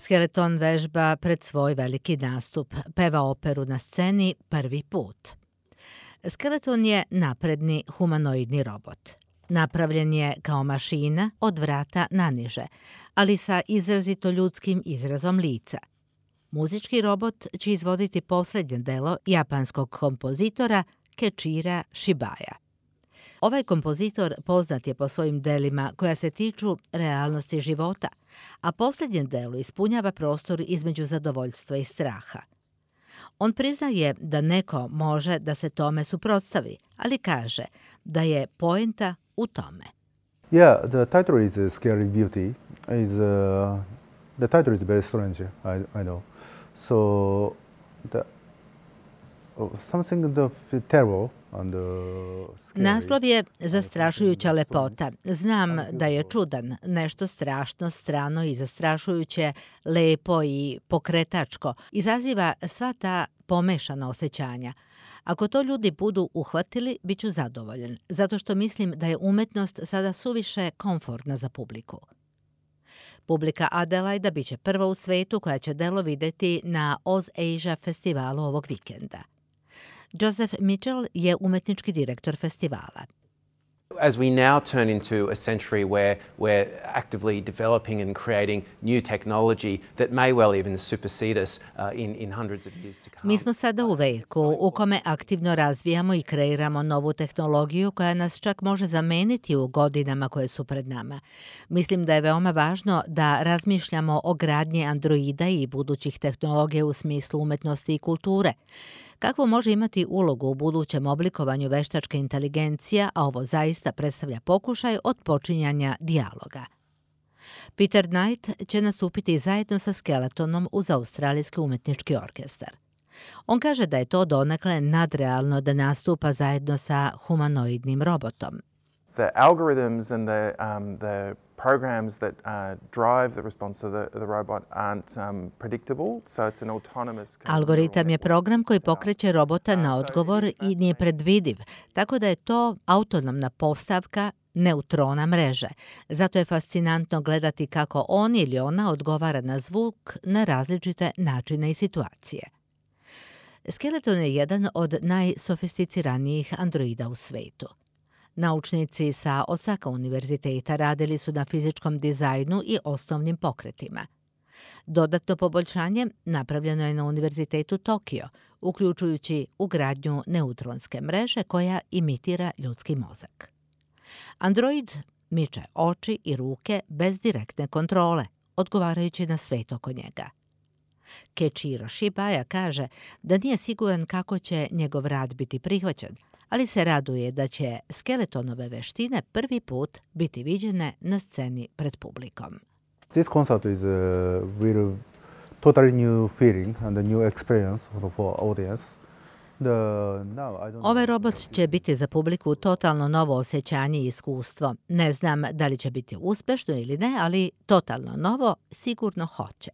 Skeleton vežba pred svoj veliki nastup, peva operu na sceni prvi put. Skeleton je napredni humanoidni robot. Napravljen je kao mašina od vrata naniže, ali sa izrazito ljudskim izrazom lica. Muzički robot će izvoditi posljednje delo japanskog kompozitora Keiichiro Shibaya. Ovaj kompozitor poznat je po svojim delima koja se tiču realnosti života, a posljednje delo ispunjava prostor između zadovoljstva i straha. On priznaje da neko može da se tome suprotstavi, ali kaže da je poenta u tome. Yeah, the title is Scary Beauty. The title is very strange, I know. So something terrible. Naslov je Zastrašujuća lepota. Znam da je čudan, nešto strašno, strano i zastrašujuće, lepo i pokretačko. Izaziva sva ta pomešana osjećanja. Ako to ljudi budu uhvatili, bit ću zadovoljan, zato što mislim da je umetnost sada suviše komfortna za publiku. Publika Adelaida bit će prva u svetu koja će delo vidjeti na Oz Asia festivalu ovog vikenda. Joseph Mitchell je umetnički direktor festivala. As we now turn into a century where we're actively developing and creating new technology that may well even supersede us in hundreds of years to come. Mi smo sada u veku u kome aktivno razvijamo i kreiramo novu tehnologiju koja nas čak može zameniti u godinama koje su pred nama. Mislim da je veoma važno da razmišljamo o gradnji androida i budućih tehnologija u smislu umetnosti i kulture. Kakvu može imati ulogu u budućem oblikovanju veštačke inteligencije, a ovo zaista predstavlja pokušaj otpočinjanja dijaloga. Peter Knight će nastupiti zajedno sa Skeletonom uz Australijski umetnički orkestar. On kaže da je to donekle nadrealno da nastupa zajedno sa humanoidnim robotom. The algorithms and the programs that drive the response of the robot aren't predictable, so it's an autonomous. Algoritam je program koji pokreće robota na odgovor i nije predvidiv, tako da je to autonomna postavka neutrona mreže. Zato je fascinantno gledati kako on ili ona odgovara na zvuk na različite načine i situacije. Skeleton je jedan od najsofisticiranijih androida u svetu. Naučnici sa Osaka univerziteta radili su na fizičkom dizajnu i osnovnim pokretima. Dodatno poboljšanje napravljeno je na Univerzitetu Tokio, uključujući ugradnju neutronske mreže koja imitira ljudski mozak. Android miče oči i ruke bez direktne kontrole, odgovarajući na svet oko njega. Keiichiro Shibaya kaže da nije siguran kako će njegov rad biti prihvaćen, ali se raduje da će Skeletonove veštine prvi put biti viđene na sceni pred publikom. This concert is a totally new feeling and a new experience for audience. Ovaj robot će biti za publiku totalno novo osjećanje i iskustvo. Ne znam da li će biti uspešno ili ne, ali totalno novo sigurno hoće.